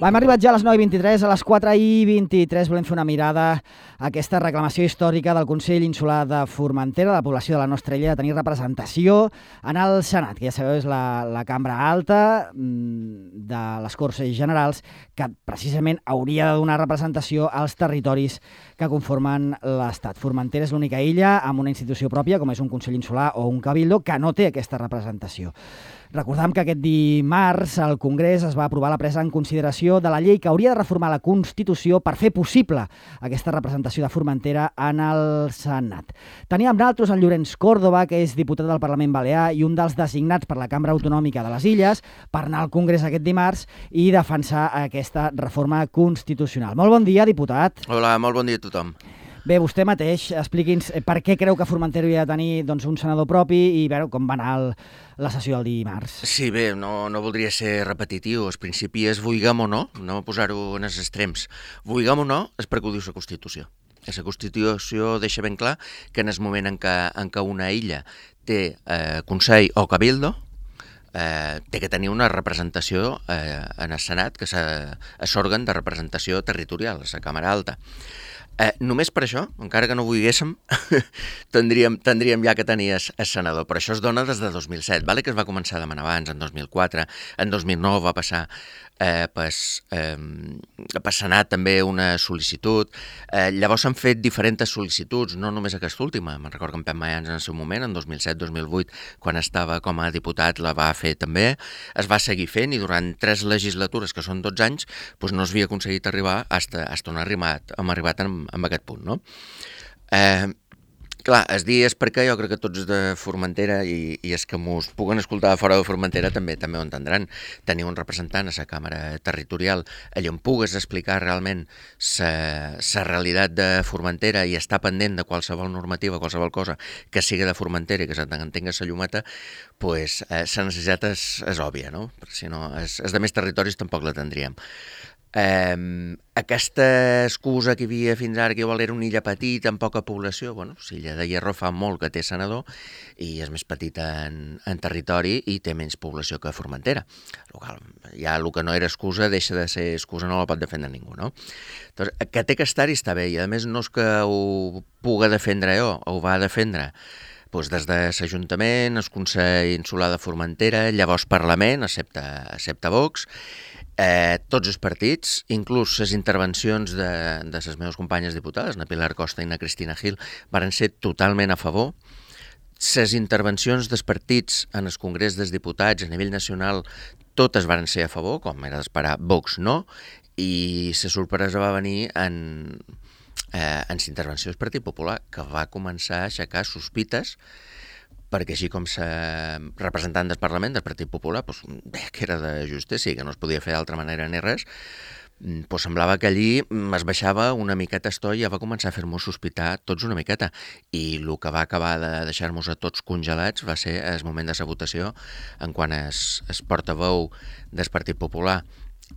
Hem arribat ja a les 9:23, a les 4:23 volem fer una mirada a aquesta reclamació històrica del Consell Insular de Formentera, de la població de la nostra illa, de tenir representació en el Senat, que ja sabeu és la cambra alta de les Corts Generals, que precisament hauria de donar representació als territoris que conformen l'Estat. Formentera és l'única illa amb una institució pròpia, com és un Consell Insular o un Cabildo, que no té aquesta representació. Recordem que aquest dimarts al Congrés es va aprovar la presa en consideració de la llei que hauria de reformar la Constitució per fer possible aquesta representació de Formentera en el Senat. Teníem amb nosaltres en Llorenç Córdoba, que és diputat del Parlament Balear i un dels designats per la Cambra Autonòmica de les Illes, per anar al Congrés aquest dimarts i defensar aquesta reforma constitucional. Molt bon dia, diputat. Hola, molt bon dia a tothom. Bé, vostè mateix, expliqui'ns per què creu que Formentera hauria de tenir un senador propi i com va anar la sessió del dimarts. Sí, bé, no voldria ser repetitiu. Al principi és vulguem o no posar-ho en els extrems. Vulguem o no és perquè ho diu la Constitució. La Constitució deixa ben clar que en el moment en què una illa té Consell o Cabildo, té que tenir una representació en el Senat, que és òrgan de representació territorial, la Càmera Alta. Només per això, encara que no ho volguéssim, tindríem ja que tenir el senador. Però això es dona des de 2007, vale? Que es va començar a demanar abans, en 2004, en 2009 va passar per Senat també una sol·licitud. Llavors s'han fet diferents sol·licituds, no només aquesta última. Me'n recordo que en Pep Mayans en el seu moment, en 2007-2008, quan estava com a diputat, la va fer també. Es va seguir fent i durant 3 legislatures, que són 12 anys, doncs no s'havia aconseguit arribar fins on hem arribat en aquest punt, no? Clar, es dir és perquè jo crec que tots de Formentera i els que mos puguen escoltar fora de Formentera també ho entendran. Tenir un representant a la Càmera Territorial allà on pugues explicar realment la realitat de Formentera i estar pendent de qualsevol normativa, qualsevol cosa que sigui de Formentera i que s'entenga la llumeta, doncs la necessitat és òbvia, no? Perquè si no, els de més territoris tampoc la tindríem. Aquesta excusa que hi havia fins ara que igual era una illa petita amb poca població, bueno, l'illa de Hierro fa molt que té senador i és més petita en territori i té menys població que Formentera. Ja el que no era excusa deixa de ser excusa, no la pot defendre ningú, no? Doncs, que té que estar-hi està bé i a més no és que ho puga defendre jo, ho va defendre des de l'Ajuntament, el Consell Insular de Formentera, llavors Parlament, excepte Vox, tots els partits, inclús les intervencions de les meves companyes diputades, na Pilar Costa i na Cristina Gil, van ser totalment a favor. Les intervencions dels partits en el Congrés dels Diputats a nivell nacional totes van ser a favor, com era d'esperar, Vox no, i la sorpresa va venir en l'intervenció del Partit Popular, que va començar a aixecar sospites perquè així com representant del Parlament del Partit Popular deia que era de justícia i que no es podia fer d'altra manera ni res, semblava que allí es baixava una miqueta estoy i ja va començar a fer-nos sospitar tots una miqueta. I el que va acabar de deixar-nos a tots congelats va ser el moment de la votació en quan el portaveu del Partit Popular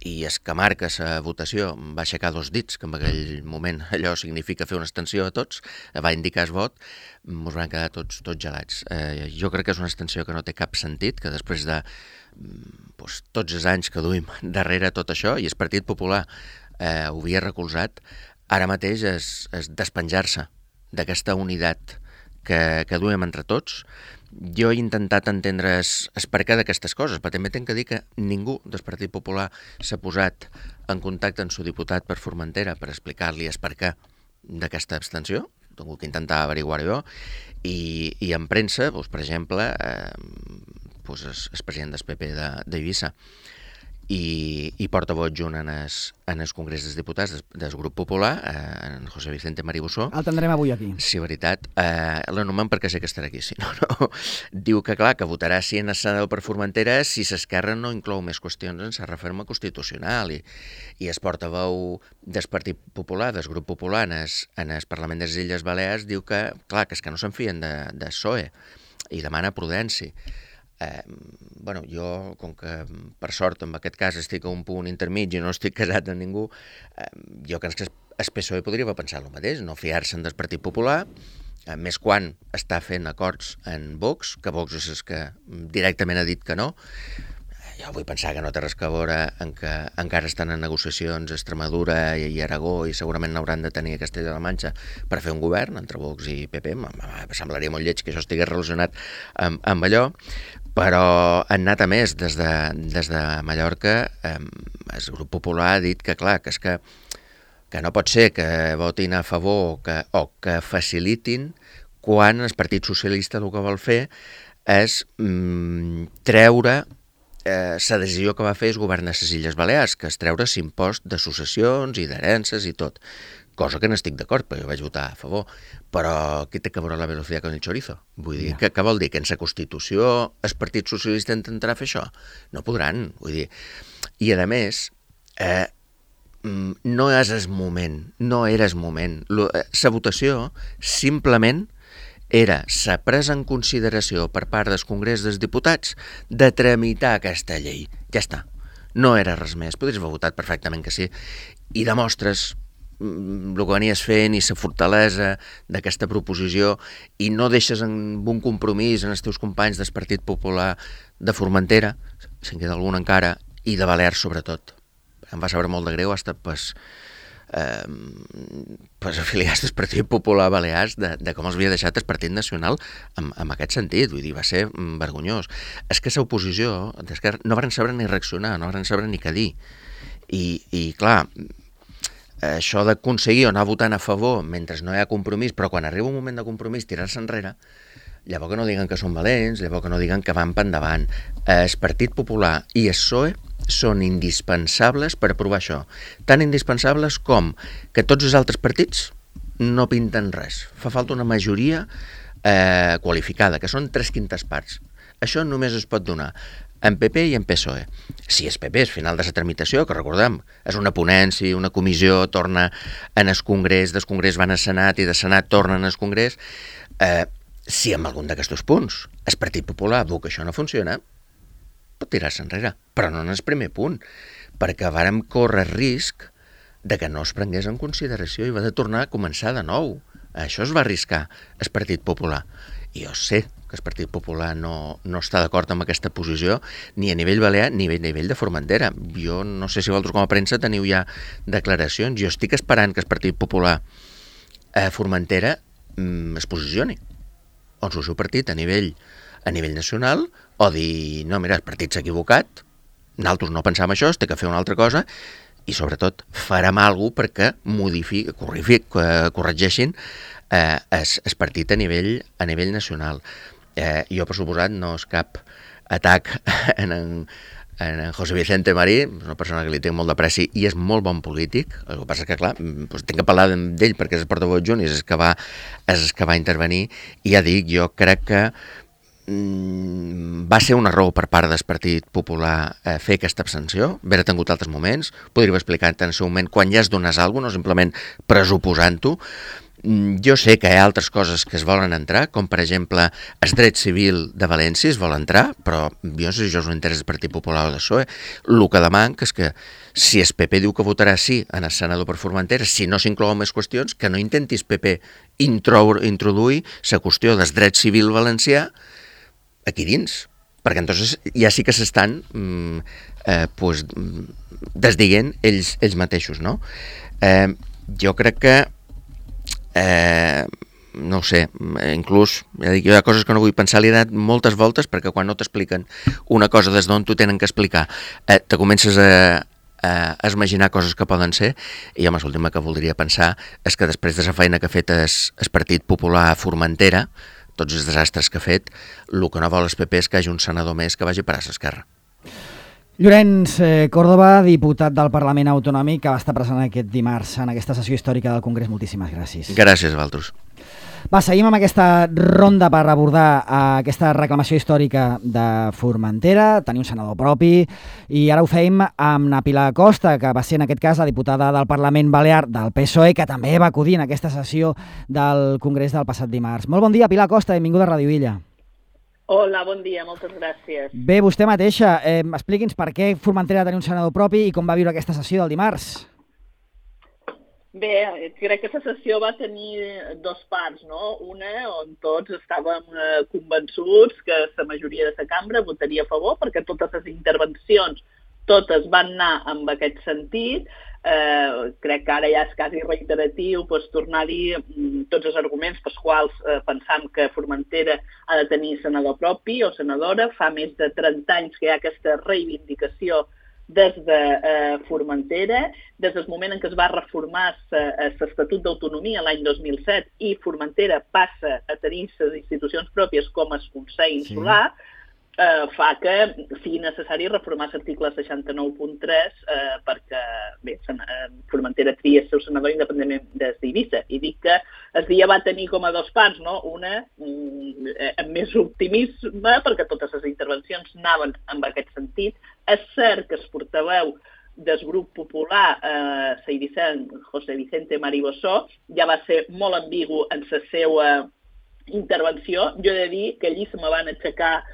i el que marca la votació va aixecar 2 dits, que en aquell moment allò significa fer una extensió a tots, va indicar el vot, ens van quedar tots gelats. Jo crec que és una extensió que no té cap sentit, que després de tots els anys que duim darrere tot això, i el Partit Popular ho havia recolzat, ara mateix és despenjar-se d'aquesta unitat que duem entre tots. Jo he intentat entendre el perquè d'aquestes coses, però també tinc que dir que ningú del Partit Popular s'ha posat en contacte amb el seu diputat per Formentera per explicar-li el perquè d'aquesta abstenció. He tingut que intentar averiguar-ho jo. I en premsa, per exemple, el president del PP d'Eivissa i portaveu adjunt en el Congrés dels Diputats del Grup Popular, en José Vicente Maribussó. El tindrem avui aquí. Sí, veritat. L'anomen perquè sé que estarà aquí, si no. Diu que, clar, que votarà sí en el senador per Formentera si l'Esquerra no inclou més qüestions en la reforma constitucional. I el portaveu del Partit Popular, del Grup Popular, en el Parlament de les Illes Balears, diu que, clar, que és que no se'n fien de PSOE i demana prudència. Jo, com que per sort en aquest cas estic a un punt intermig i no estic casat amb ningú, jo crec que el PSOE podria haver pensat el mateix, no fiar-se'n del Partit Popular, més quan està fent acords en Vox, que Vox és el que directament ha dit que no. jo vull pensar que no té res a veure en que encara estan en negociacions Extremadura i Aragó i segurament n'hauran de tenir a Castella de la Manxa per fer un govern entre Vox i PP. Semblaria molt lleig que això estigués relacionat amb allò, però han anat a més. Des de Mallorca el grup popular ha dit que, clar, que és que no pot ser que votin a favor o que facilitin quan el Partit Socialista el que vol fer és treure la decisió que va fer el govern de les Illes Balears, que és treure l'impost de successions i d'herències i tot, cosa que no estic d'acord, perquè jo vaig votar a favor, però què té que veure la velocitat con el chorizo? Vull dir, què vol dir? Que en la Constitució el Partit Socialista intentarà fer això? No podran, vull dir. I a més, no és el moment, no era el moment. La votació simplement era la presa en consideració per part del Congrés dels Diputats de tramitar aquesta llei. Ja està. No era res més. Podries haver votat perfectament que sí. I demostres el que venies fent i la fortalesa d'aquesta proposició i no deixes en un compromís en els teus companys del Partit Popular de Formentera, si en queda algun encara, i de Balears sobretot. Em va saber molt de greu hasta afiliats del Partit Popular Balears de com els havia deixat el Partit Nacional en aquest sentit, vull dir, va ser vergonyós. És que l'oposició d'Esquerra no van saber ni reaccionar, no van saber ni què dir. I clar, això d'aconseguir o anar votant a favor mentre no hi ha compromís, però quan arriba un moment de compromís tirar-se enrere, llavors que no diguen que són valents, llavors que no diguen que van per endavant. El Partit Popular i el PSOE són indispensables per aprovar això. Tan indispensables com que tots els altres partits no pinten res. Fa falta una majoria qualificada, que són 3/5 parts. Això només es pot donar en PP i en PSOE. Si és PP, és final de la tramitació, que recordem, és una ponència, una comissió, torna en el Congrés, del Congrés van al Senat i del Senat tornen al Congrés. Si amb algun d'aquests punts el Partit Popular veu que això no funciona, pot tirar-se enrere, però no en el primer punt, perquè vàrem córrer risc de que no es prengués en consideració i va de tornar a començar de nou. Això es va arriscar el Partit Popular. I jo sé que el Partit Popular no està d'acord amb aquesta posició ni a nivell balear ni a nivell de Formentera. Jo no sé si vosaltres com a premsa teniu ja declaracions. Jo estic esperant que el Partit Popular a Formentera es posicioni. O el seu partit a nivell nacional, o dir, no, mira, el partit s'ha equivocat, nosaltres no pensàvem això, es té que fer una altra cosa, i sobretot farem alguna cosa perquè corregeixin el partit a nivell nacional. Jo, per suposat, no és cap atac en José Vicente Marí, una persona que li tinc molt d'apreci i és molt bon polític. El que passa és que, clar, tinc que parlar d'ell perquè és el portaveu adjunt i és el que va intervenir, i ja dic, jo crec que va ser un error per part del Partit Popular fer aquesta abstenció, haver tingut altres moments, podria haver explicat en el seu moment quan ja es donés alguna cosa, no simplement pressuposant-ho. Jo sé que hi ha altres coses que es volen entrar, com per exemple el dret civil de València es vol entrar, però jo no sé si això és un interès del Partit Popular o del PSOE. El que demanc és que si el PP diu que votarà sí en el senador per Formentera, si no s'inclouen més qüestions, que no intentis PP introduir la qüestió del dret civil valencià aquí dins, perquè entonces ja sí que s'estan desdient ells mateixos, no? Jo crec que no ho sé, inclús ja dic, hi ha coses que no vull pensar, li he donat moltes voltes perquè quan no t'expliquen una cosa des d'on t'ho tenen que explicar, te comences a imaginar coses que poden ser, i home, l'última que voldria pensar és que després de la feina que ha fet el Partit Popular a Formentera, tots els desastres que ha fet, el que no vol el PP és que hi hagi un senador més que vagi a parar a l'esquerra. Llorenç Córdoba, diputat del Parlament Autonòmic, que va estar present aquest dimarts en aquesta sessió històrica del Congrés. Moltíssimes gràcies. Gràcies a vosaltres. Va, seguim amb aquesta ronda per abordar aquesta reclamació històrica de Formentera, tenir un senador propi, i ara ho fem amb na Pilar Costa, que va ser en aquest cas la diputada del Parlament Balear del PSOE, que també va acudir en aquesta sessió del Congrés del passat dimarts. Molt bon dia, Pilar Costa, benvinguda a Ràdio Illa. Hola, bon dia, moltes gràcies. Bé, vostè mateixa, expliqui'ns per què Formentera tenia un senador propi i com va viure aquesta sessió del dimarts. Bé, crec que la sessió va tenir dos parts, no? Una on tots estàvem convençuts que la majoria de la cambra votaria a favor perquè totes les intervencions totes van anar en aquest sentit. Crec que ara ja és quasi reiteratiu tornar a dir tots els arguments pels quals pensam que Formentera ha de tenir senador propi o senadora. Fa més de 30 anys que hi ha aquesta reivindicació des de Formentera, des del moment en què es va reformar l'Estatut d'Autonomia l'any 2007 i Formentera passa a tenir les institucions pròpies com el Consell Insular, fa que sigui necessari reformar l'article 69.3 perquè Formentera tria el seu senador independentment d'Eivissa. I dic que el dia va tenir com a dos parts, no? Una amb més optimisme perquè totes les intervencions anaven en aquest sentit. És cert que el portaveu del grup popular, José Vicente Mariboso, ja va ser molt ambigu en la seva intervenció. Jo he de dir que allí se me van aixecar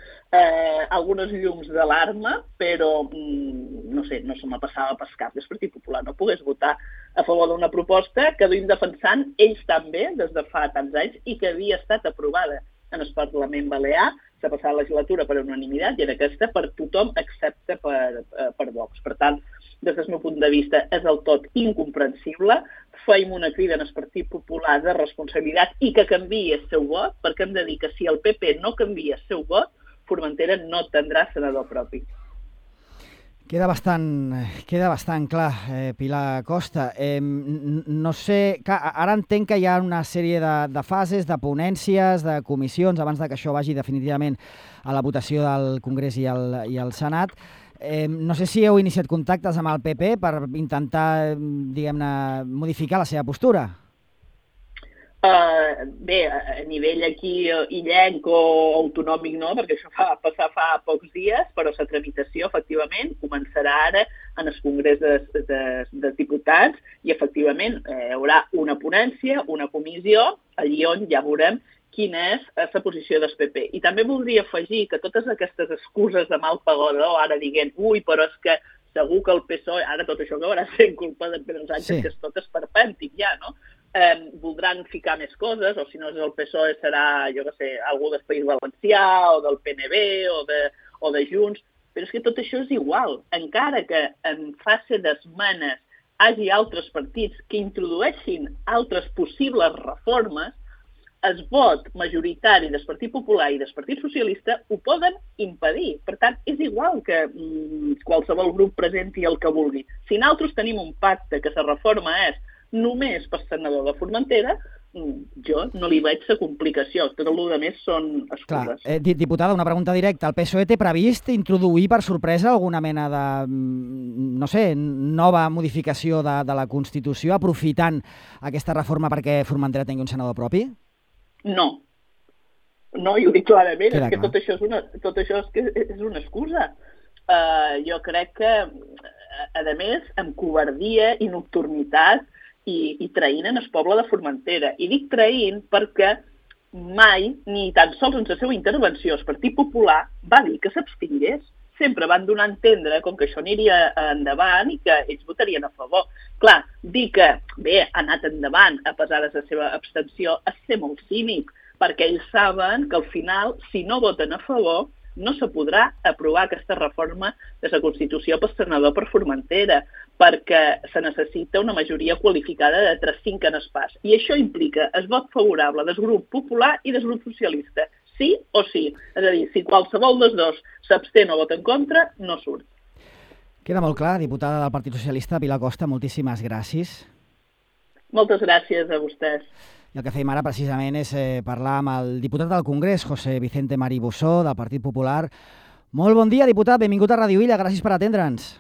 algunes llums d'alarma, però no sé, no se me passava pel cap que el Partit Popular no pogués votar a favor d'una proposta que duim defensant ells també des de fa tants anys i que havia estat aprovada en el Parlament Balear la passada legislatura per unanimitat i en aquesta per tothom excepte per Vox. Per tant, des del meu punt de vista és del tot incomprensible. Feim una crida en el Partit Popular de responsabilitat i que canviï el seu vot, perquè hem de dir que si el PP no canvia el seu vot, Formentera no tindrà senador propi. Queda bastant clar, Pilar Costa. No sé, ara entenc que hi ha una sèrie de fases, de ponències, de comissions, abans de que això vagi definitivament a la votació del Congrés i al Senat. No sé si heu iniciat contactes amb el PP per intentar, diguem-ne, modificar la seva postura. Bé, a nivell aquí illenc o autonòmic no, perquè això va passar fa pocs dies, però la tramitació efectivament començarà ara en el Congrés de Diputats i efectivament hi haurà una ponència, una comissió, allí on ja veurem quina és la posició del PP. I també voldria afegir que totes aquestes excuses de mal pagador, ara dient, però és que segur que el PSOE, ara tot això que haurà sent culpa de Pedro Sánchez, que és tot esperpèntic ja, no? Voldran ficar més coses, o si no és el PSOE serà, jo què sé, algú del País Valencià o del PNB o de Junts, però és que tot això és igual. Encara que en fase d'esmenes hi hagi altres partits que introdueixin altres possibles reformes, el vot majoritari del Partit Popular i del Partit Socialista ho poden impedir. Per tant, és igual que qualsevol grup presenti el que vulgui. Si nosaltres tenim un pacte que la reforma és només per senador de Formentera, jo no li veig la complicació. Tot el que més són excuses. Diputada, una pregunta directa. El PSOE té previst introduir per sorpresa alguna mena de, no sé, nova modificació de la Constitució aprofitant aquesta reforma perquè Formentera tingui un senador propi? No. No, i ho dic clarament. És que tot això és una excusa. Jo crec que, a més, amb covardia i nocturnitat i traint en el poble de Formentera. I dic traint perquè mai, ni tan sols en la seva intervenció, el Partit Popular va dir que s'abstingués. Sempre van donar a entendre com que això aniria endavant i que ells votarien a favor. Clar, dir que bé, ha anat endavant a pesar de la seva abstenció és ser molt cínic, perquè ells saben que al final, si no voten a favor, no se podrà aprovar aquesta reforma de la Constitució per senador per Formentera, perquè se necessita una majoria qualificada de 3/5 parts. I això implica el vot favorable del grup popular i del grup socialista. Sí o sí. És a dir, si qualsevol dels dos s'abstén o vota en contra, no surt. Queda molt clar, diputada del Partit Socialista, Pilar Costa, moltíssimes gràcies. Moltes gràcies a vostès. I el que fèiem ara precisament és parlar amb el diputat del Congrés, José Vicente Mariboso, del Partit Popular. Molt bon dia, diputat, benvingut a Radio Illa, gràcies per atendre'ns.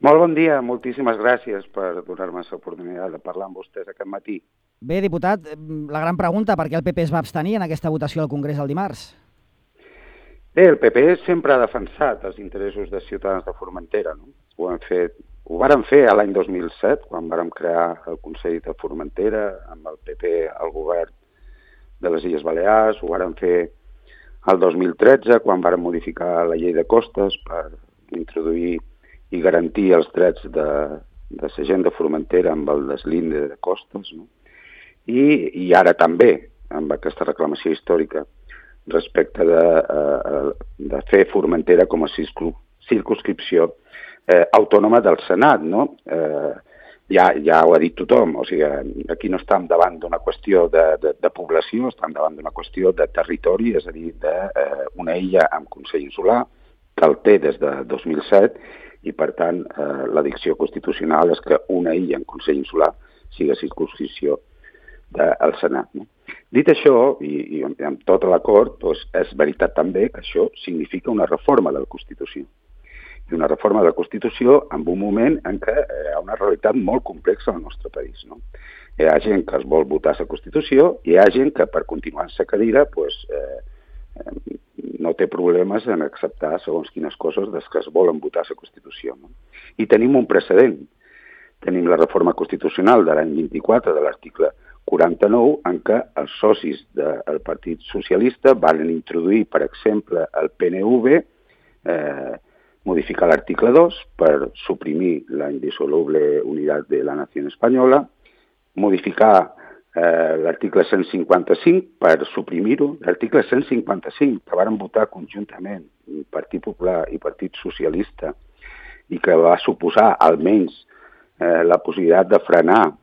Molt bon dia, moltíssimes gràcies per donar-me l'oportunitat de parlar amb vostès aquest matí. Bé, diputat, la gran pregunta, per què el PP es va abstenir en aquesta votació al Congrés el dimarts? Bé, el PP sempre ha defensat els interessos dels ciutadans de Formentera, no? Ho vàrem fer l'any 2007, quan vàrem crear el Consell de Formentera, amb el PP al govern de les Illes Balears, ho vàrem fer el 2013, quan vàrem modificar la llei de costes per introduir i garantir els drets de la gent de Formentera amb el deslinde de costes, no? I ara també, amb aquesta reclamació històrica respecte de fer Formentera com a circumscripció autònoma del Senat, no? Ja ho ha dit tothom, o sigui, aquí no estem davant d'una qüestió de població, estem davant d'una qüestió de territori, és a dir, d'una illa amb Consell Insular, que el té des de 2007, i per tant la dicció constitucional és que una illa en Consell Insular sigui circumscripció del Senat. No? Dit això, i amb tot l'acord, doncs és veritat també que això significa una reforma de la Constitució. I una reforma de la Constitució en un moment en què hi ha una realitat molt complexa al nostre país. No? Hi ha gent que es vol votar la Constitució i hi ha gent que per continuar en la cadira doncs, no té problemes en acceptar segons quines coses des que es volen votar la Constitució. No? I tenim un precedent. Tenim la reforma constitucional de l'any 24 de l'article 49 en què els socis del Partit Socialista van introduir, per exemple, el PNV, modificar l'article 2 per suprimir la indissoluble unitat de la nació espanyola, modificar l'article 155 per suprimir-ho, l'article 155 que varen votar conjuntament Partit Popular i Partit Socialista i que va suposar almenys la possibilitat de frenar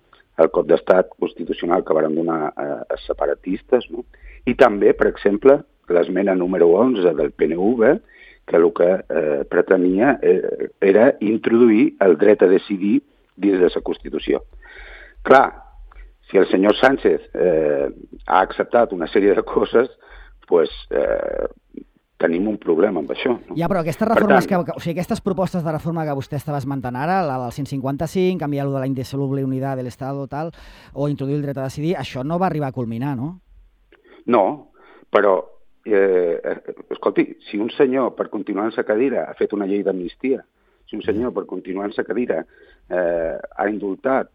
el cop d'estat constitucional que varen donar als separatistes, no? I també, per exemple, l'esmena número 11 del PNV, que el que pretenia era introduir el dret a decidir dins de la Constitució. Clar, si el senyor Sánchez ha acceptat una sèrie de coses, doncs tenim un problema amb això. No? Ja, però aquestes reformes, aquestes propostes de reforma que vostè estava esmentant ara, la del 155, canviar-lo de la indissoluble unitat de l'Estat tal, o introduir el dret a decidir, això no va arribar a culminar, no? No, però escolti, si un senyor per continuar en sa cadira ha fet una llei d'amnistia, si un senyor per continuar en sa cadira ha indultat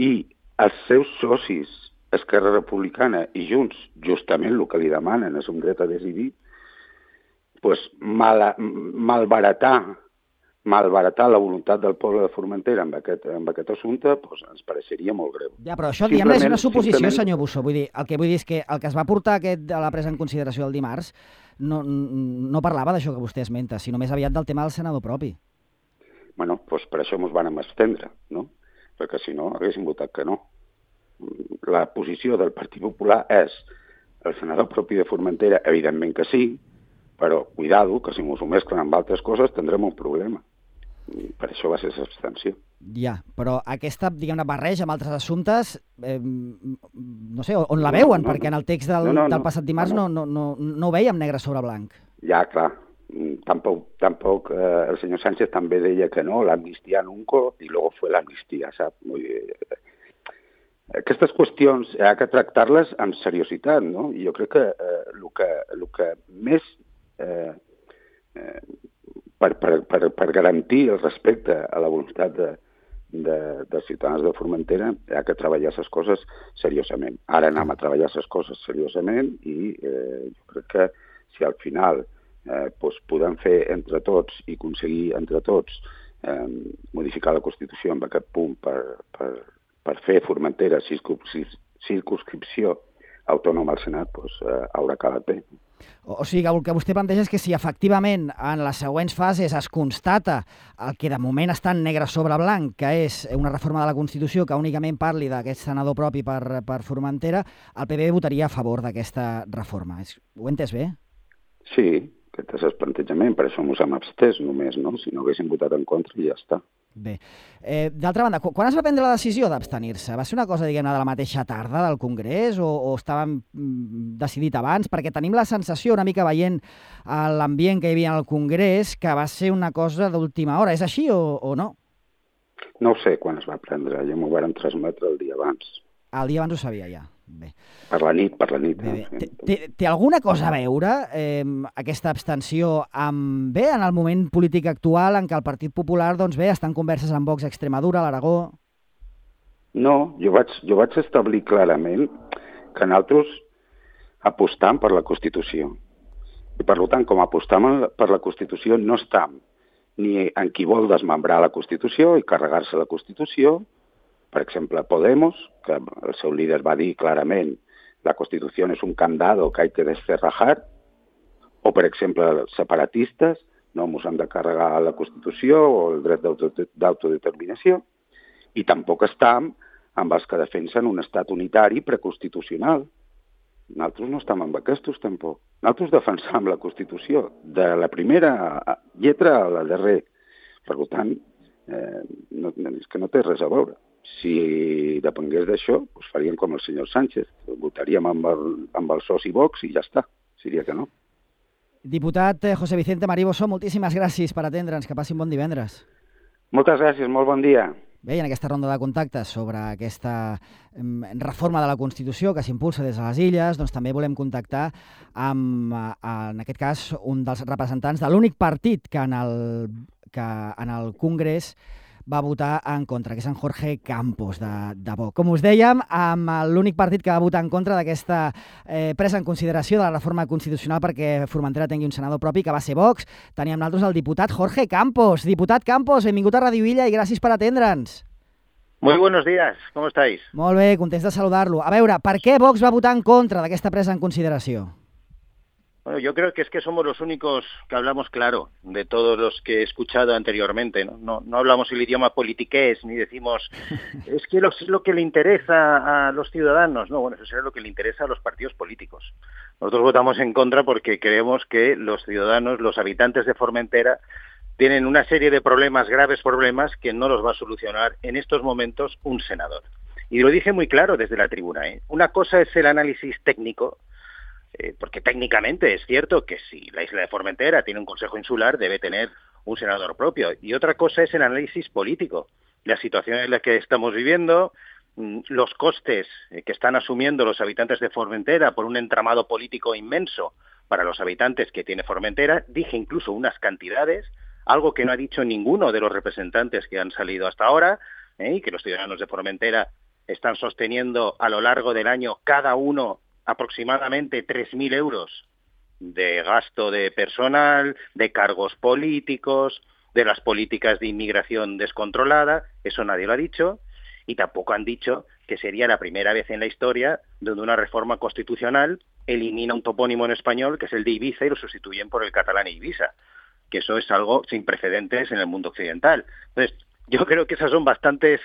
i els seus socis, Esquerra Republicana i Junts, justament el que li demanen és un dret a decidir, doncs malbaratar la voluntat del poble de Formentera amb aquest assumpte doncs ens pareixeria molt greu. Ja, però això diguem és una suposició, senyor Bussó. Vull dir, el que vull dir és que el que es va portar a la presa en consideració el dimarts no parlava d'això que vostè esmenta, sinó més aviat del tema del senador propi. Bueno, doncs per això ens vam abstendre, no? Perquè si no haguéssim votat que no. La posició del Partit Popular és el senador propi de Formentera, evidentment que sí, però cuidado, que si ens ho mesclen amb altres coses tindrem un problema. Per això va ser l'abstenció. Ja, però aquesta, diguem-ne, barreja amb altres assumptes, no sé, on la veuen? Perquè en el text del passat dimarts no ho veiem negre sobre blanc. Ja, clar. Tampoc el senyor Sánchez també deia que no, l'amnistia nunca, i luego fue l'amnistia, sap? Aquestes qüestions hi ha que tractar-les amb seriositat, no? I jo crec que el que més per garantir el respecte a la voluntat dels ciutadans de Formentera hi ha que treballar les coses seriosament. Ara anem a treballar les coses seriosament i jo crec que si al final podem fer entre tots i aconseguir entre tots modificar la Constitució en aquest punt per fer Formentera circumscripció autònoma al Senat, doncs haurà quedat bé. O sigui, el que vostè planteja és que si efectivament en les següents fases es constata el que de moment està en negre sobre blanc, que és una reforma de la Constitució que únicament parli d'aquest senador propi per Formentera, el PP votaria a favor d'aquesta reforma. Ho he entès bé? Sí, aquest és el plantejament, per això ens hem abstès només, no? Si no haguéssim votat en contra i ja està. Bé. D'altra banda, quan es va prendre la decisió d'abstenir-se? Va ser una cosa, diguem-ne, de la mateixa tarda del Congrés o estàvem decidit abans? Perquè tenim la sensació, una mica veient l'ambient que hi havia al Congrés, que va ser una cosa d'última hora. És així o no? No ho sé quan es va prendre, ja m'ho varen transmetre el dia abans. El dia abans ho sabia ja. Bé. Per la nit. Bé. Té alguna cosa a veure aquesta abstenció en el moment polític actual en què el Partit Popular està en converses amb Vox a Extremadura, a l'Aragó? No, jo vaig establir clarament que nosaltres apostam per la Constitució. I per tant, com apostam per la Constitució, no estem ni en qui vol desmembrar la Constitució i carregar-se la Constitució. Per exemple, Podemos, que el seu líder va dir clarament la Constitució és un candado que hay que descerrajar, o, per exemple, els separatistes, no ens hem de carregar la Constitució o el dret d'autodeterminació, i tampoc estem amb els que defensen un estat unitari preconstitucional. Nosaltres no estem amb aquests, tampoc. Nosaltres defensam la Constitució, de la primera lletra a la darrera. Per tant, és que no té res a veure. Si depengués d'això, doncs faríem com el senyor Sánchez. Votaríem amb el soci Vox i ja està. Seria que no. Diputat José Vicente Mariboso, moltíssimes gràcies per atendre'ns. Que passi un bon divendres. Moltes gràcies, molt bon dia. Bé, en aquesta ronda de contactes sobre aquesta reforma de la Constitució que s'impulsa des de les Illes, doncs també volem contactar amb, en aquest cas, un dels representants de l'únic partit que en el Congrés va votar en contra, que és en Jorge Campos, de Vox. Com us dèiem, amb l'únic partit que va votar en contra d'aquesta presa en consideració de la reforma constitucional perquè Formentera tingui un senador propi, que va ser Vox, teníem nosaltres el diputat Jorge Campos. Diputat Campos, benvingut a Radio Illa i gràcies per atendre'ns. Muy buenos días, ¿cómo estáis? Molt bé, contents de saludar-lo. A veure, per què Vox va votar en contra d'aquesta presa en consideració? Bueno, yo creo que es que somos los únicos que hablamos claro de todos los que he escuchado anteriormente, ¿no? No hablamos el idioma politiqués, ni decimos, es que es lo que le interesa a los ciudadanos. No, bueno, eso es lo que le interesa a los partidos políticos. Nosotros votamos en contra porque creemos que los ciudadanos, los habitantes de Formentera, tienen una serie de problemas, graves problemas, que no los va a solucionar en estos momentos un senador. Y lo dije muy claro desde la tribuna, ¿eh? Una cosa es el análisis técnico, porque técnicamente es cierto que si la isla de Formentera tiene un consejo insular, debe tener un senador propio. Y otra cosa es el análisis político, la situación en la que estamos viviendo, los costes que están asumiendo los habitantes de Formentera por un entramado político inmenso para los habitantes que tiene Formentera. Dije incluso unas cantidades, algo que no ha dicho ninguno de los representantes que han salido hasta ahora, y que los ciudadanos de Formentera están sosteniendo a lo largo del año cada uno aproximadamente 3.000 euros de gasto de personal, de cargos políticos, de las políticas de inmigración descontrolada. Eso nadie lo ha dicho, y tampoco han dicho que sería la primera vez en la historia donde una reforma constitucional elimina un topónimo en español, que es el de Ibiza, y lo sustituyen por el catalán Ibiza, que eso es algo sin precedentes en el mundo occidental. Entonces, yo creo que esos son bastantes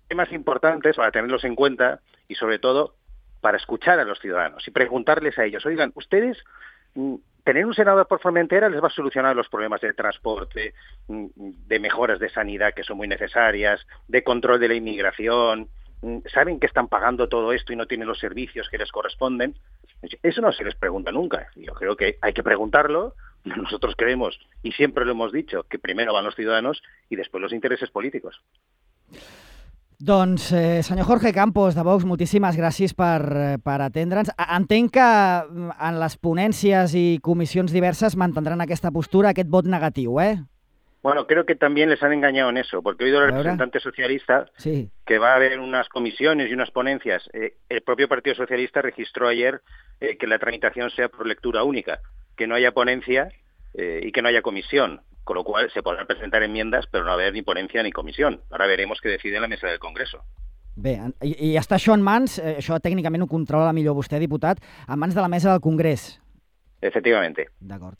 temas importantes para tenerlos en cuenta, y sobre todo para escuchar a los ciudadanos y preguntarles a ellos, oigan, ¿ustedes tener un senador por Formentera les va a solucionar los problemas de transporte, de mejoras de sanidad que son muy necesarias, de control de la inmigración? ¿Saben que están pagando todo esto y no tienen los servicios que les corresponden? Eso no se les pregunta nunca. Yo creo que hay que preguntarlo. Nosotros creemos, y siempre lo hemos dicho, que primero van los ciudadanos y después los intereses políticos. Doncs, senyor Jorge Campos, de Vox, moltíssimes gràcies per atendre'ns. Entenc que en les ponències i comissions diverses mantendran aquesta postura, aquest vot negatiu, eh? Bueno, creo que también les han engañado en eso, porque he oído al representante socialista que va a haber unas comisiones y unas ponencias. El propio Partido Socialista registró ayer que la tramitación sea por lectura única, que no haya ponencia y que no haya comisión. Con lo cual se podrán presentar enmiendas, però no haver ni ponencia ni comissió. Ara veremos què decide la mesa del Congreso. Bé, i està això en mans, això tècnicament ho controla millor vostè, diputat, en mans de la mesa del Congrés. Efectivamente. D'acord.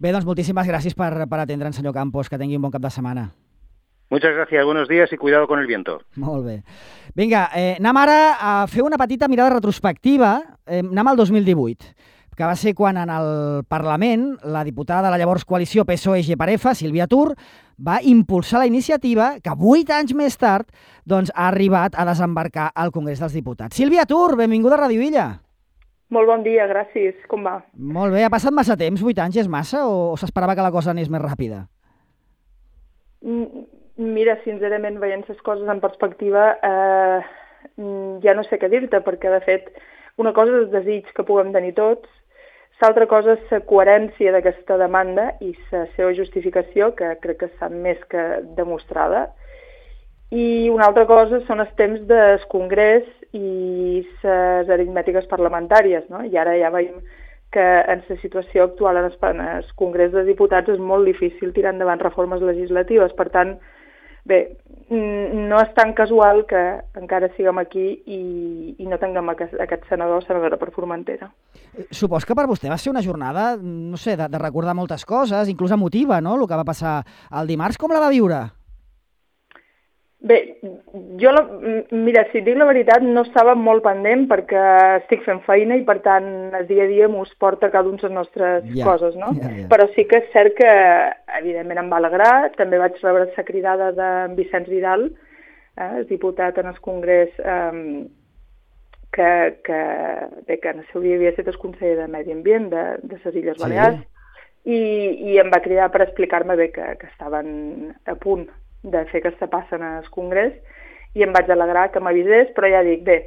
Bé, doncs moltíssimes gràcies per atendre'ns, senyor Campos, que tingui un bon cap de setmana. Muchas gracias, buenos días y cuidado con el viento. Molt bé. Vinga, anem ara a fer una petita mirada retrospectiva, anem al 2018. Que va ser quan en el Parlament la diputada de la llavors coalició PSOE-GPAREFA, Sílvia Tur, va impulsar la iniciativa que 8 anys més tard doncs, ha arribat a desembarcar al Congrés dels Diputats. Sílvia Tur, benvinguda a Radio Illa. Molt bon dia, gràcies. Com va? Molt bé. Ha passat massa temps? 8 anys és massa o s'esperava que la cosa anés més ràpida? Mira, sincerament, veient les coses en perspectiva, ja no sé què dir-te, perquè, de fet, una cosa és el desig que puguem tenir tots, l'altra cosa és la coherència d'aquesta demanda i la seva justificació, que crec que està més que demostrada. I una altra cosa són els temps del Congrés i les aritmètiques parlamentàries, no? I ara ja veiem que en la situació actual en el Congrés dels Diputats és molt difícil tirar endavant reformes legislatives. Per tant, bé, no és tan casual que encara siguem aquí i no tinguem aquest senador o senadora per Formentera. Supos que per vostè va ser una jornada, no sé, de recordar moltes coses, inclús emotiva, no?, el que va passar el dimarts. Com la va viure? Bé, mira, si et dic la veritat, no estava molt pendent perquè estic fent feina i, per tant, el dia a dia m'ho porta cada una de les nostres coses, no? Però sí que és cert que, evidentment, em va alegrar. També vaig rebre la cridada de Vicenç Vidal, el diputat en el Congrés, que en el seu dia havia estat el conseller de Medi Ambient de les Illes Balears, i em va cridar per explicar-me bé que estaven a punt de fer aquesta passa en el Congrés, i em vaig alegrar que m'avisés, però ja dic, bé,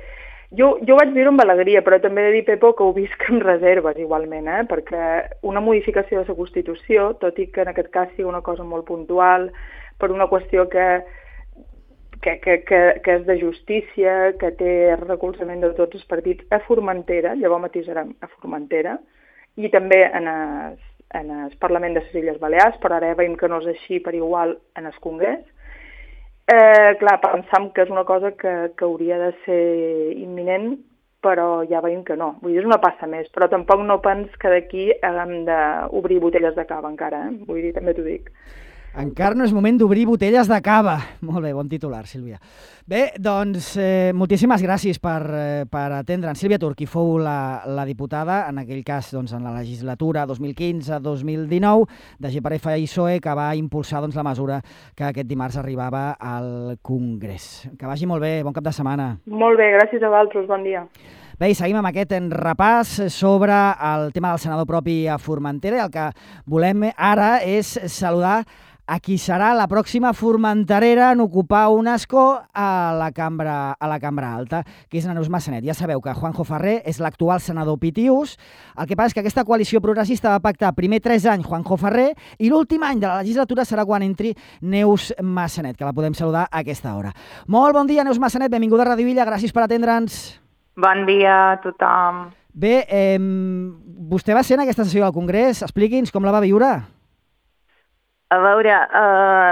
jo ho vaig viure amb alegria, però també he de dir, Pepo, que ho visc amb reserves igualment, perquè una modificació de la Constitució, tot i que en aquest cas sigui una cosa molt puntual, per una qüestió que és de justícia, que té recolzament de tots els partits a Formentera, llavors matisarem a Formentera, i també en el Parlament de les Illes Balears, però ara veiem que no és així per igual en el Congrés. Clar, pensam que és una cosa que hauria de ser imminent, però ja veiem que no. Vull dir, és una passa més, però tampoc no pens que d'aquí haguem d'obrir botelles de cava encara, vull dir, també t'ho dic. Encara no és moment d'obrir botelles de cava. Molt bé, bon titular, Sílvia. Bé, doncs, moltíssimes gràcies per atendre'ns. Sílvia Tur, qui fou la diputada, en aquell cas en la legislatura 2015-2019, de GPRF i PSOE, que va impulsar la mesura que aquest dimarts arribava al Congrés. Que vagi molt bé, bon cap de setmana. Molt bé, gràcies a vosaltres, bon dia. Bé, i seguim amb aquest repàs sobre el tema del senador propi a Formentera, i el que volem ara és saludar a qui serà la pròxima formenterera en ocupar un escó a la Cambra Alta, que és Neus Massanet. Ja sabeu que Juanjo Ferrer és l'actual senador Pitius. El que passa és que aquesta coalició progressista va pactar primer 3 anys Juanjo Ferrer i l'últim any de la legislatura serà quan entri Neus Massanet, que la podem saludar a aquesta hora. Molt bon dia, Neus Massanet, benvinguda a Radio Villa, gràcies per atendre'ns. Bon dia a tothom. Bé, vostè va ser en aquesta sessió del Congrés, expliqui'ns com la va viure. A veure,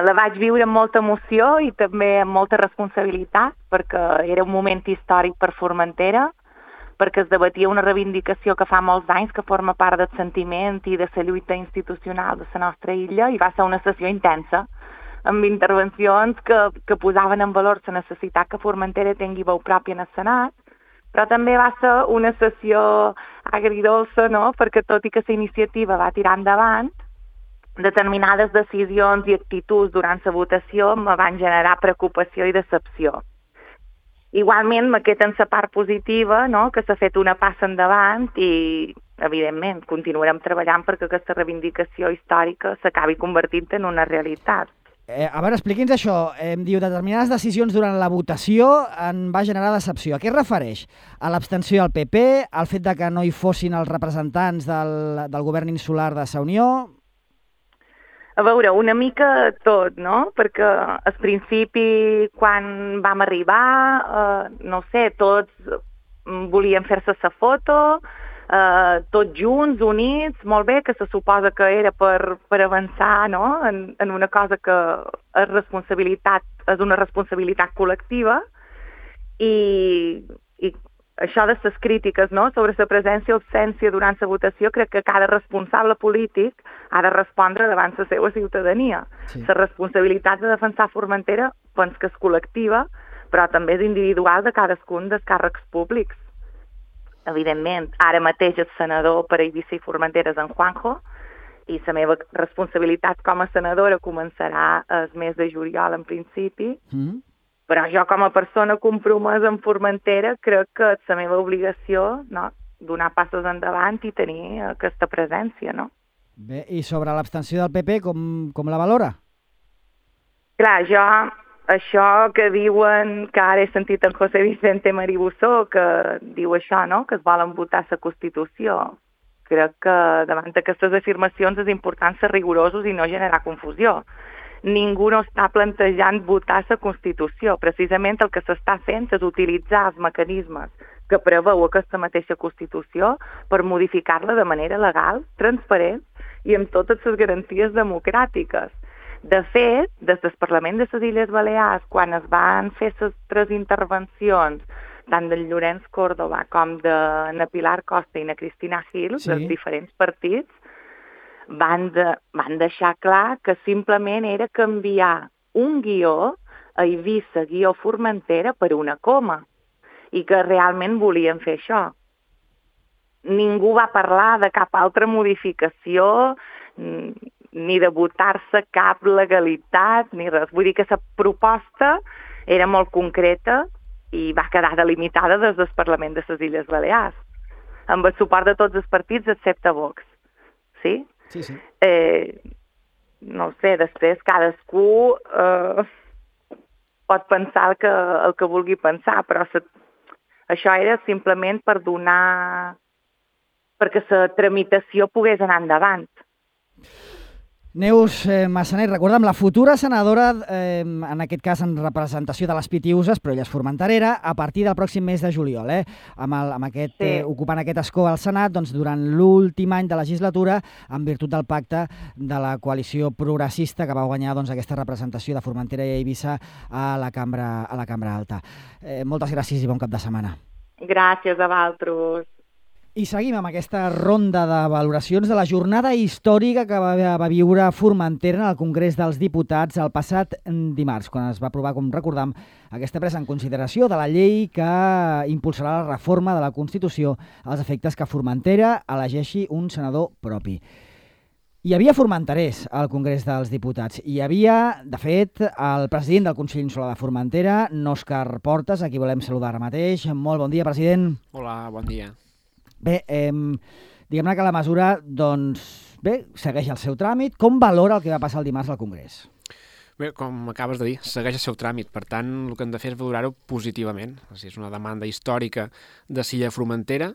la vaig viure amb molta emoció i també amb molta responsabilitat, perquè era un moment històric per Formentera, perquè es debatia una reivindicació que fa molts anys que forma part del sentiment i de la lluita institucional de la nostra illa, i va ser una sessió intensa, amb intervencions que posaven en valor la necessitat que Formentera tingui veu pròpia en el Senat, però també va ser una sessió agridolça, no?, perquè tot i que la iniciativa va tirar endavant, determinades decisions i actituds durant la votació me van generar preocupació i decepció. Igualment, me queda en la part positiva, no?, que s'ha fet una passa endavant i, evidentment, continuarem treballant perquè aquesta reivindicació històrica s'acabi convertint en una realitat. A veure, expliqui'ns això. Diu, determinades decisions durant la votació en va generar decepció. A què es refereix? A l'abstenció del PP, al fet de que no hi fossin els representants del govern insular de la Unió? A veure, una mica tot, no? Perquè al principi, quan vam arribar, no sé, tots volien fer-se la foto, tots junts, units, molt bé, que se suposa que era per avançar, no?, en una cosa que és una responsabilitat col·lectiva, i això de les crítiques, no?, sobre la presència o absència durant la votació, crec que cada responsable polític ha de respondre davant la seva ciutadania. Sí. La responsabilitat de defensar Formentera penso que és col·lectiva, però també és individual de cadascun dels càrrecs públics. Evidentment, ara mateix el senador per Eivissa i Formentera és en Juanjo, i la meva responsabilitat com a senadora començarà el mes de juliol en principi, però jo com a persona compromesa en Formentera crec que és la meva obligació, no?, donar passos endavant i tenir aquesta presència, no? Bé, i sobre l'abstenció del PP, com la valora? Clar, jo, això que diuen, que ara he sentit en José Vicente Maribussó, que diu això, no?, que es volen votar la Constitució. Crec que davant d'aquestes afirmacions és important ser rigorosos i no generar confusió. ningú no està plantejant votar la Constitució. Precisament el que s'està fent és utilitzar els mecanismes que preveu aquesta mateixa Constitució per modificar-la de manera legal, transparent i amb totes les garanties democràtiques. De fet, des del Parlament de les Illes Balears, quan es van fer les 3 intervencions, tant del Llorenç Córdoba com de na Pilar Costa i na Cristina Gil, dels diferents partits, van deixar clar que simplement era canviar un guió a Eivissa-Formentera per una coma i que realment volien fer això. Ningú va parlar de cap altra modificació ni de votar-se cap legalitat ni res. Vull dir que la proposta era molt concreta i va quedar delimitada des del Parlament de les Illes Balears, amb el suport de tots els partits excepte Vox. Sí? Sí. No sé, després cadascú pot pensar el que vulgui pensar, però això era simplement per perquè la tramitació pogués anar endavant. Neus Massanet, recorda'm, la futura senadora, en aquest cas en representació de les Pitiüses, però ella és formenterera, a partir del pròxim mes de juliol, ocupant aquest escó al Senat, doncs, durant l'últim any de legislatura, en virtut del pacte de la coalició progressista que va guanyar aquesta representació de Formentera i Eivissa a la Cambra Alta. Moltes gràcies i bon cap de setmana. Gràcies a vosaltres. I seguim amb aquesta ronda de valoracions de la jornada històrica que va viure Formentera en el Congrés dels Diputats el passat dimarts, quan es va aprovar, com recordam, aquesta presa en consideració de la llei que impulsarà la reforma de la Constitució als efectes que Formentera elegeixi un senador propi. Hi havia formenterers al Congrés dels Diputats. Hi havia, de fet, el president del Consell Insular de Formentera, Òscar Portas, a qui volem saludar ara mateix. Molt bon dia, president. Hola, bon dia. Bé, diguem-ne que la mesura, segueix el seu tràmit. Com valora el que va passar el dimarts al Congrés? Bé, com acabes de dir, segueix el seu tràmit. Per tant, el que hem de fer és valorar-ho positivament. És una demanda històrica de Silla Formentera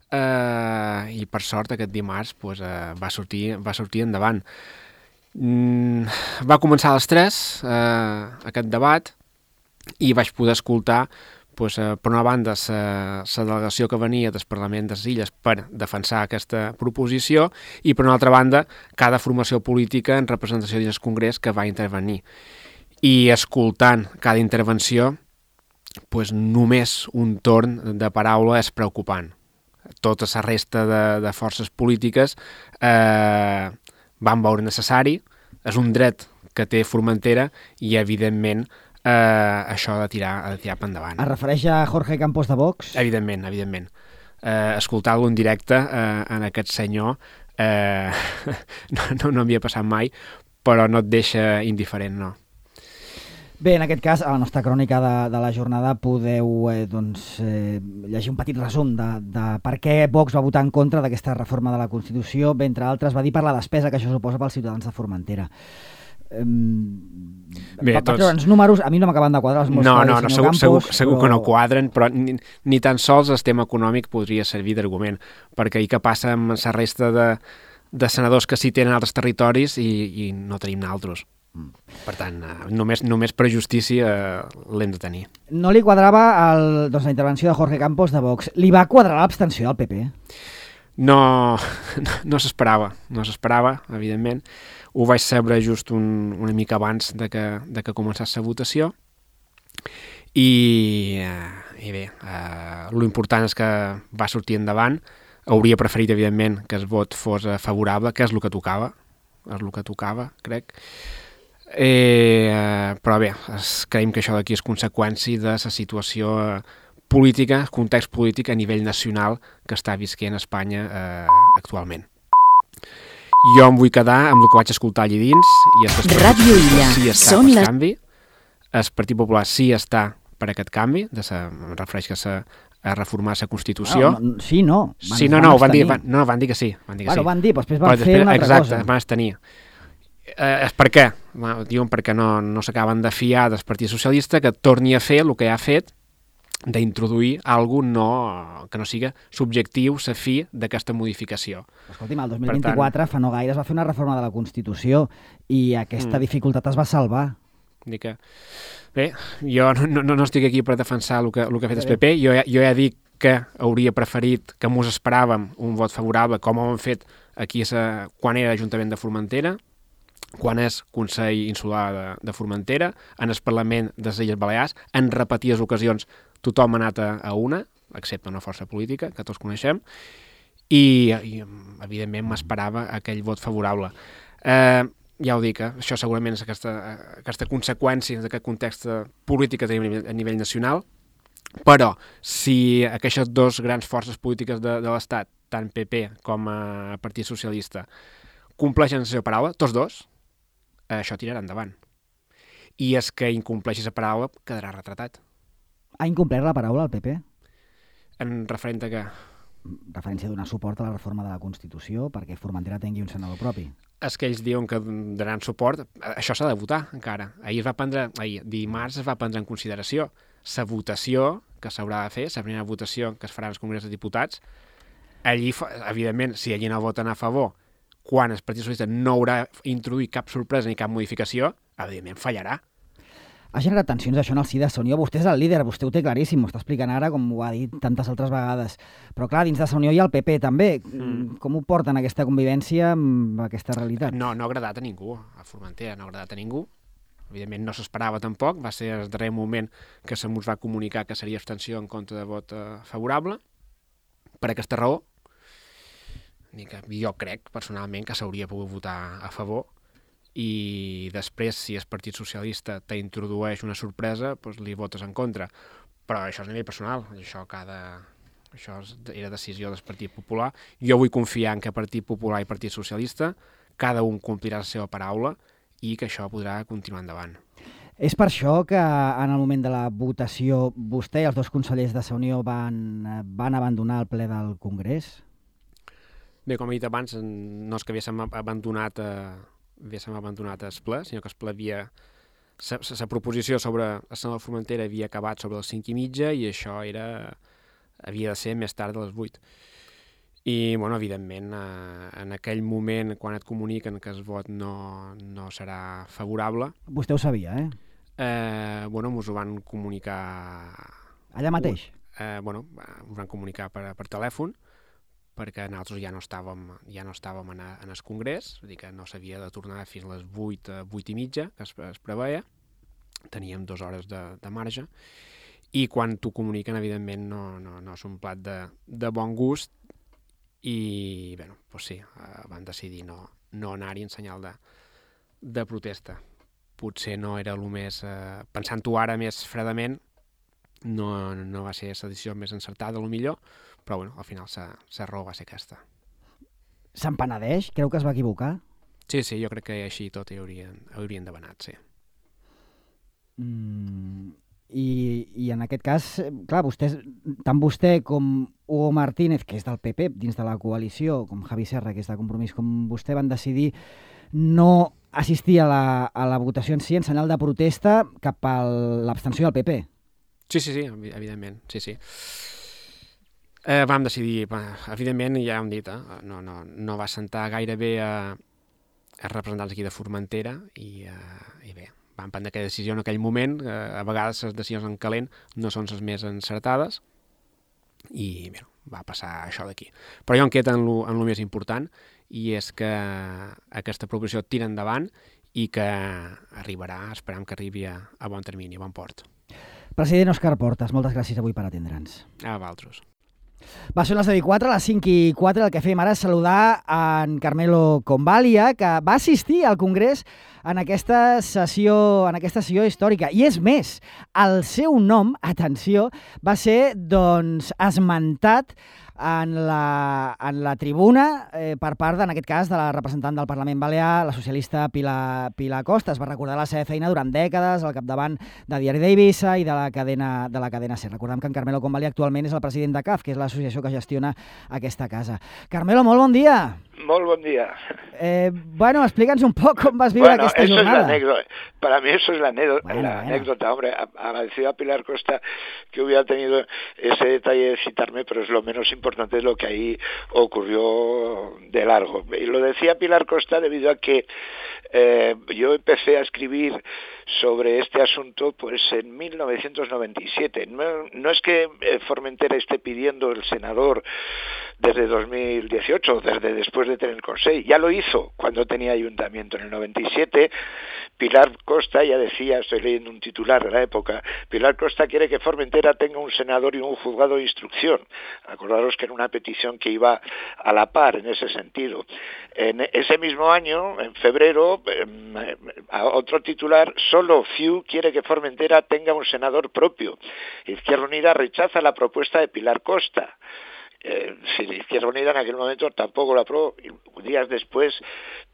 i, per sort, aquest dimarts va sortir endavant. Va començar a les 3 aquest debat i vaig poder escoltar per una banda, la delegació que venia del Parlament de les Illes per defensar aquesta proposició i, per una altra banda, cada formació política en representació dins el Congrés que va intervenir. I escoltant cada intervenció, només un torn de paraula és preocupant. Tota la resta de forces polítiques van veure necessari, és un dret que té Formentera i, evidentment, això ha de tirar per endavant. Es refereix a Jorge Campos de Vox? Evidentment. Escoltar-lo en directe en aquest senyor no havia passat mai, però no et deixa indiferent, no. Bé, en aquest cas, a la nostra crònica de la jornada podeu llegir un petit resum de per què Vox va votar en contra d'aquesta reforma de la Constitució. Bé, entre altres, va dir per la despesa que això suposa pels ciutadans de Formentera. Bé, per treure'ns números, a mi no m'acaben de quadrar els meus Campos, segur que no quadren, però ni tan sols el tema econòmic podria servir d'argument, perquè què passa amb la resta de senadors que sí tenen altres territoris i no tenim naltros. Per tant, només per justícia l'hem de tenir. No li quadrava la intervenció de Jorge Campos de Vox. Li va quadrar l'abstenció del PP? No s'esperava, evidentment. Ho vaig saber just una mica abans de que començés la votació i bé, l'important és que va sortir endavant. Hauria preferit, evidentment, que el vot fos favorable, que és el que tocava, crec. Però bé, creiem que això d'aquí és conseqüència de la situació política, context polític a nivell nacional que està visquent Espanya actualment. Jo em vull quedar amb el que vaig escoltar allà dins i Ràdio Illa. Sí està per canvi. El Partit Popular sí està per aquest canvi, em refereix a reformar la Constitució. Sí, no. Van dir que sí. Van dir, després van fer una altra cosa. Exacte, van abstenir. És per què? Diuen perquè no s'acaben de fiar del Partit Socialista, que torni a fer el que ha fet d'introduir alguna cosa que no siga subjectiu, la fi d'aquesta modificació. Escolti'm, el 2024, fa no gaire, es va fer una reforma de la Constitució i aquesta dificultat es va salvar. Bé, jo no estic aquí per defensar el que ha fet el PP. Jo ja dic que hauria preferit, que mos esperàvem un vot favorable, com ho hem fet aquí quan era Ajuntament de Formentera, quan és Consell Insular de Formentera, en el Parlament de les Illes Balears, en repetides ocasions tothom ha anat a una, excepte una força política, que tots coneixem, i evidentment m'esperava aquell vot favorable. Ja ho dic, això segurament és aquesta conseqüència d'aquest context polític que tenim a nivell nacional, però si aquestes dues grans forces polítiques de l'Estat, tant PP com Partit Socialista, compleixen la seva paraula, tots dos, això tirarà endavant. I és que incompleixi la paraula quedarà retratat. Ha incomplert la paraula el PP? En referent a què? Referència a donar suport a la reforma de la Constitució perquè Formentera tingui un senador propi. És que ells diuen que donaran suport. Això s'ha de votar encara. Dimarts es va prendre en consideració la votació que s'haurà de fer, la primera votació que es farà al Congrés dels Diputats. Allí, evidentment, si allí no voten a favor, quan el Partit Socialista no haurà introduït cap sorpresa ni cap modificació, evidentment fallarà. Ha generat tensions això en el si de Unió. Vostè és el líder, vostè ho té claríssim, ho està explicant ara, com ho ha dit tantes altres vegades. Però clar, dins de Unió hi ha el PP també. Com ho porten aquesta convivència amb aquesta realitat? No ha agradat a ningú, a Formentera no ha agradat a ningú. Evidentment no s'esperava tampoc, va ser el darrer moment que se mos va comunicar que seria abstenció en contra de vot favorable. Per aquesta raó, jo crec personalment que s'hauria pogut votar a favor, i després, si el Partit Socialista t'introdueix una sorpresa, doncs li votes en contra. Però això és a nivell personal, això era decisió del Partit Popular. Jo vull confiar en que Partit Popular i Partit Socialista cada un complirà la seva paraula i que això podrà continuar endavant. És per això que en el moment de la votació vostè i els dos consellers de la Unió van abandonar el ple del Congrés? Bé, com he dit abans, no és que haguéssim abandonat el ple, sinó que el ple la proposició sobre el senador Formentera havia acabat sobre les 5:30 i això havia de ser més tard de les 8. I, evidentment, en aquell moment, quan et comuniquen que el vot no serà favorable... Vostè ho sabia, eh? Mos ho van comunicar... Allà mateix? Ho van comunicar per telèfon, perquè nosaltres ja no estàvem en el Congrés, és a dir, que no s'havia de tornar fins a les 8:30, que es preveia. Teníem 2 hores de marge, i quan t'ho comuniquen, evidentment, no és un plat de bon gust, i, sí, van decidir no anar-hi en senyal de protesta. Potser no era el més... Pensant-ho ara més fredament, no va ser la decisió més encertada, millor, però al final la raó va ser aquesta. Se'n penedeix? Creu que es va equivocar? Sí, jo crec que així tot hi haurien demanat, sí. I en aquest cas, clar, tant vostè com Hugo Martínez, que és del PP dins de la coalició, com Javi Serra, que és de Compromís, com vostè, van decidir no assistir a la votació en si en senyal de protesta cap a l'abstenció del PP. Sí, evidentment, sí. Vam decidir, evidentment, ja hem dit, no va sentar gaire bé a representants aquí de Formentera i bé, vam prendre aquella decisió en aquell moment. A vegades les decisions en calent no són les més encertades i bé, va passar això d'aquí. Però jo em quedo en el més important, i és que aquesta proposició tira endavant i que arribarà, esperem que arribi a bon termini, a bon port. President Òscar Portas, moltes gràcies avui per atendre'ns. A vosaltres. Va, són les 10:04, a les 5:04, el que fem ara és saludar en Carmelo Convalia, que va assistir al Congrés en aquesta sessió històrica. I és més, el seu nom, atenció, va ser esmentat en la tribuna per part, en aquest cas, de la representant del Parlament Balear, la socialista Pilar Costa. Es va recordar la seva feina durant dècades al capdavant de Diari d'Eivissa i de la cadena SER. Recordem que en Carmelo Convalí actualment és el president de CAF, que és l'associació que gestiona aquesta casa. Carmelo, molt bon dia. Molt bon dia. Bueno, explica'ns un poc com vas viure aquesta jornada. Es la anécdota. Para mí eso es la anécdota. Hombre, agradecido a Pilar Costa que hubiera tenido ese detalle de citarme, pero es lo menos importante de lo que ahí ocurrió de largo. Y lo decía Pilar Costa debido a que yo empecé a escribir sobre este asunto pues en 1997. No es que Formentera esté pidiendo el senador desde 2018, desde después de tener el Consell. Ya lo hizo cuando tenía ayuntamiento en el 97. Pilar Costa, ya decía, estoy leyendo un titular de la época, Pilar Costa quiere que Formentera tenga un senador y un juzgado de instrucción. Acordaros que era una petición que iba a la par en ese sentido. En ese mismo año, en febrero, otro titular, solo CiU quiere que Formentera tenga un senador propio. Izquierda Unida rechaza la propuesta de Pilar Costa. Si la Izquierda Unida en aquel momento tampoco lo aprobó. Días después,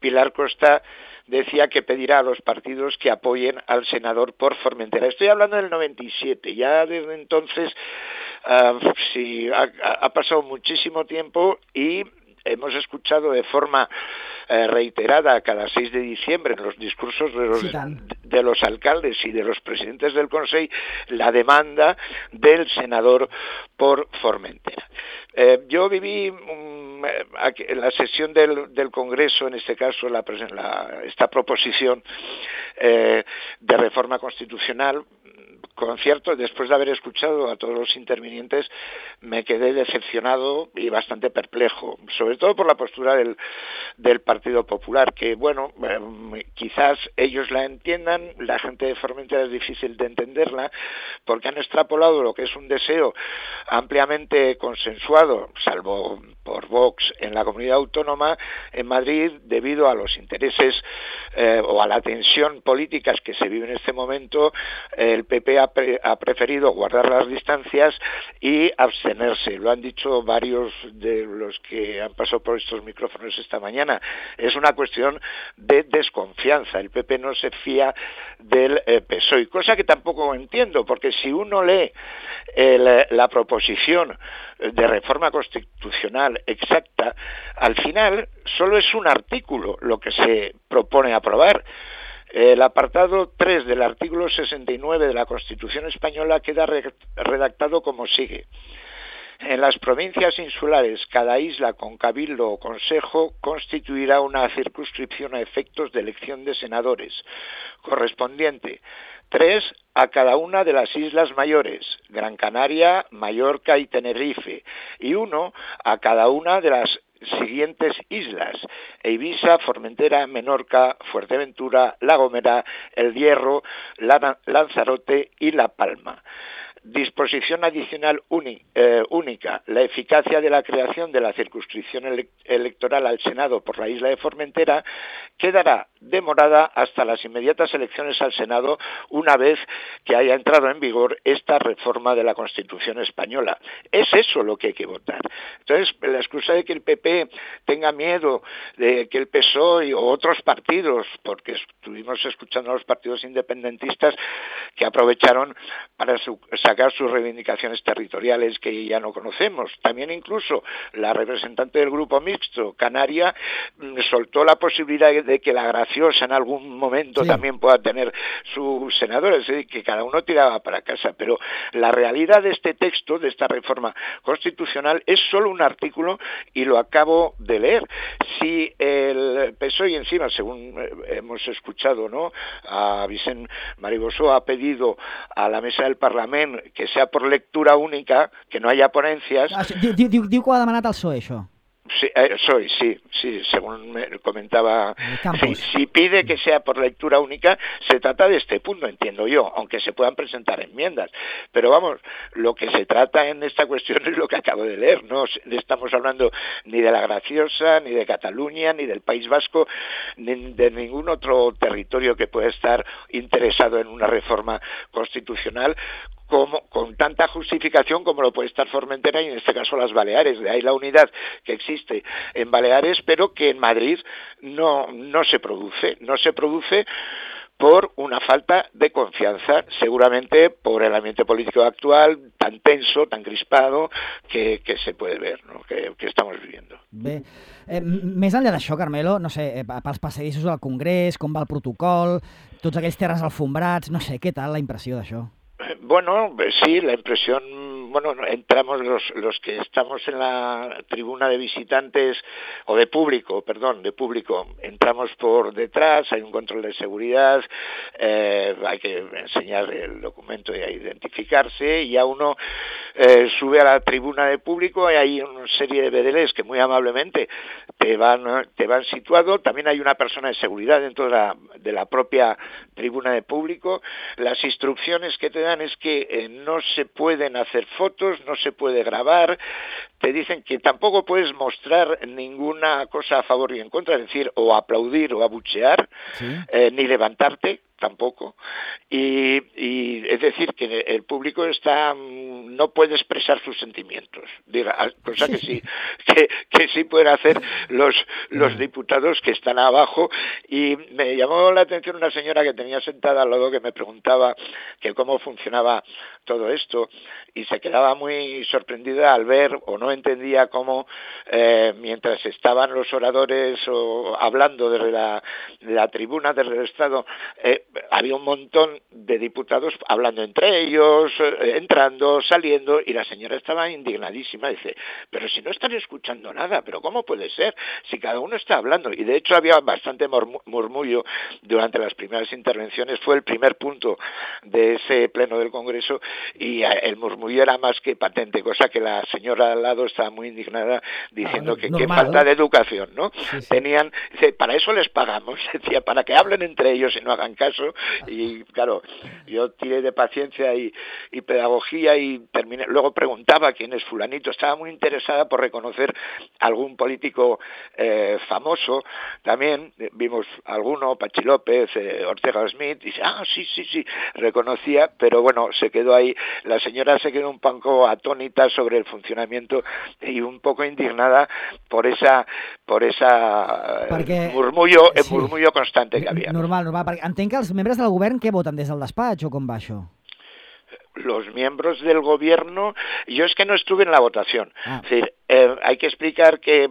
Pilar Costa decía que pedirá a los partidos que apoyen al senador por Formentera. Estoy hablando del 97. Ya desde entonces ha pasado muchísimo tiempo y hemos escuchado de forma reiterada cada 6 de diciembre en los discursos de los alcaldes y de los presidentes del Consell la demanda del senador por Formentera. Yo viví en la sesión del Congreso, en este caso esta proposición de reforma constitucional. Con cierto, después de haber escuchado a todos los intervinientes, me quedé decepcionado y bastante perplejo, sobre todo por la postura del Partido Popular, que bueno, quizás ellos la entiendan, la gente de Formentera es difícil de entenderla, porque han extrapolado lo que es un deseo ampliamente consensuado, salvo por Vox en la comunidad autónoma, en Madrid, debido a los intereses o a la tensión políticas que se vive en este momento, el PP ha preferido guardar las distancias y abstenerse. Lo han dicho varios de los que han pasado por estos micrófonos esta mañana. Es una cuestión de desconfianza. El PP no se fía del PSOE, cosa que tampoco entiendo, porque si uno lee la proposición de reforma constitucional exacta, al final solo es un artículo lo que se propone aprobar. El apartado 3 del artículo 69 de la Constitución española queda redactado como sigue. En las provincias insulares, cada isla con cabildo o consejo constituirá una circunscripción a efectos de elección de senadores, correspondiente 3 a cada una de las islas mayores, Gran Canaria, Mallorca y Tenerife, y 1 a cada una de las siguientes islas: Eivissa, Formentera, Menorca, Fuerteventura, La Gomera, El Hierro, Lanzarote y La Palma. Disposición adicional única. La eficacia de la creación de la circunscripción electoral al Senado por la isla de Formentera quedará demorada hasta las inmediatas elecciones al Senado, una vez que haya entrado en vigor esta reforma de la Constitución española. Es eso lo que hay que votar. Entonces, la excusa de que el PP tenga miedo de que el PSOE o otros partidos, porque estuvimos escuchando a los partidos independentistas que aprovecharon para sacar sus reivindicaciones territoriales que ya no conocemos. También incluso la representante del grupo mixto, Canaria, soltó la posibilidad de que la Graciosa en algún momento también pueda tener sus senadores, es decir, que cada uno tiraba para casa. Pero la realidad de este texto, de esta reforma constitucional, es solo un artículo y lo acabo de leer. Si el PSOE encima, según hemos escuchado, ¿no?, a Vicent Maribosó ha pedido a la mesa del Parlament que sea por lectura única, que no haya ponencias. Diu que ho ha demanat el PSOE, això. Sí, según me comentaba, si pide que sea por lectura única, se trata de este punto, entiendo yo, aunque se puedan presentar enmiendas. Pero vamos, lo que se trata en esta cuestión es lo que acabo de leer, no estamos hablando ni de la Graciosa, ni de Cataluña, ni del País Vasco, ni de ningún otro territorio que pueda estar interesado en una reforma constitucional, con tanta justificación como lo puede estar Formentera y en este caso las Baleares. De ahí la unidad que existe en Baleares, pero que en Madrid no se produce por una falta de confianza, seguramente por el ambiente político actual, tan tenso, tan crispado, que se puede ver, no? que estamos viviendo. Bé, més enllà d'això, Carmelo, no sé, pels passadissos del Congrés, com va el protocol, tots aquells terres alfombrats, no sé, què tal la impressió d'això? Bueno, sí, la impresión, bueno, entramos los que estamos en la tribuna de visitantes, o de público, entramos por detrás, hay un control de seguridad, hay que enseñar el documento y a identificarse, y ya uno sube a la tribuna de público y hay una serie de bedeles que muy amablemente te van situado. También hay una persona de seguridad dentro de la propia tribuna de público. Las instrucciones que te dan es que no se pueden hacer fotos, no se puede grabar, te dicen que tampoco puedes mostrar ninguna cosa a favor y en contra, es decir, o aplaudir o abuchear, ¿sí? Ni levantarte tampoco, y es decir que el público no puede expresar sus sentimientos, cosa que sí pueden hacer los diputados que están abajo. Y me llamó la atención una señora que tenía sentada al lado que me preguntaba que cómo funcionaba todo esto, y se quedaba muy sorprendida al ver, o no entendía cómo mientras estaban los oradores hablando desde la tribuna del Estado, había un montón de diputados hablando entre ellos, entrando, saliendo, y la señora estaba indignadísima. Dice, pero si no están escuchando nada, ¿pero cómo puede ser? Si cada uno está hablando. Y de hecho había bastante murmullo durante las primeras intervenciones. Fue el primer punto de ese pleno del Congreso y el murmullo era más que patente, cosa que la señora al lado estaba muy indignada diciendo que falta de educación, ¿no? Sí. Dice, para eso les pagamos, decía, para que hablen entre ellos y no hagan caso. Y claro, yo tiré de paciencia y pedagogía y terminé. Luego preguntaba quién es fulanito, estaba muy interesada por reconocer algún político famoso. También vimos alguno, Pachi López, Ortega Smith, y dice, sí, reconocía, pero bueno, se quedó ahí. La señora se quedó un poco atónita sobre el funcionamiento y un poco indignada por esa murmullo constante que había. Normal, perquè entenc que els membres del govern què voten des del despatx o com va això? Los miembros del gobierno, yo es que no estuve en la votación. Es decir, hay que explicar que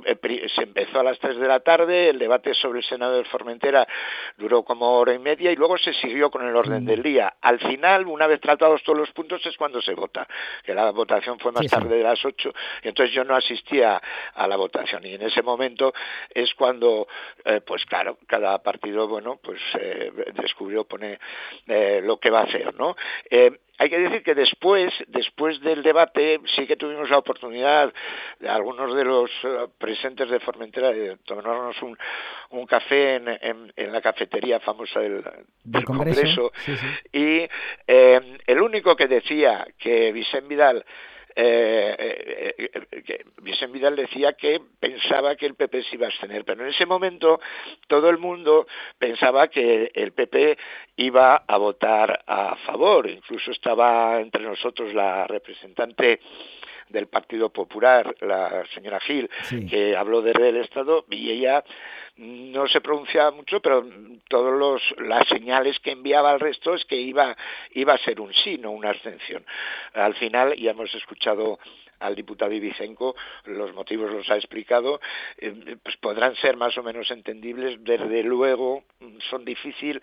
se empezó a las 3 de la tarde, el debate sobre el Senado de Formentera duró como hora y media y luego se siguió con el orden del día. Al final, una vez tratados todos los puntos, es cuando se vota, que la votación fue más tarde de las 8, y entonces yo no asistía a la votación, y en ese momento es cuando, pues claro, cada partido, bueno, pues pone lo que va a hacer, ¿no? Hay que decir que después del debate sí que tuvimos la oportunidad, algunos de los presentes de Formentera, de tomarnos un café en la cafetería famosa del Congreso. Sí. Y el único que decía que Vicent Vidal decía que pensaba que el PP se iba a abstener, pero en ese momento todo el mundo pensaba que el PP iba a votar a favor. Incluso estaba entre nosotros la representante del Partido Popular, la señora Gil, que habló del Estado, y ella no se pronunciaba mucho, pero todas las señales que enviaba al resto es que iba a ser un sí, no una abstención. Al final, ya hemos escuchado al diputado Ibicenco, los motivos los ha explicado, pues podrán ser más o menos entendibles. Desde luego son difíciles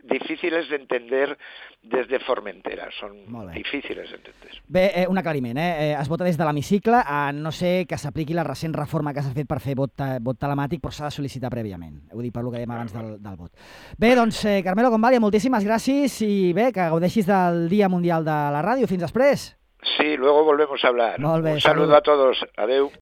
de entender des de Formentera, són difícils d'entendre. Bé, un aclariment, es vota des de l'hemicicle, no sé que s'apliqui la recent reforma que s'ha fet per fer vot telemàtic, però s'ha de sol·licitar prèviament. Ho dic per lo que dèiem abans del vot. Bé, doncs, Carmelo Convalia, moltíssimes gràcies i bé, que gaudeixis del Dia Mundial de la Ràdio. Fins després. Sí, luego volvemos a hablar. Un saludo a todos. Adeu.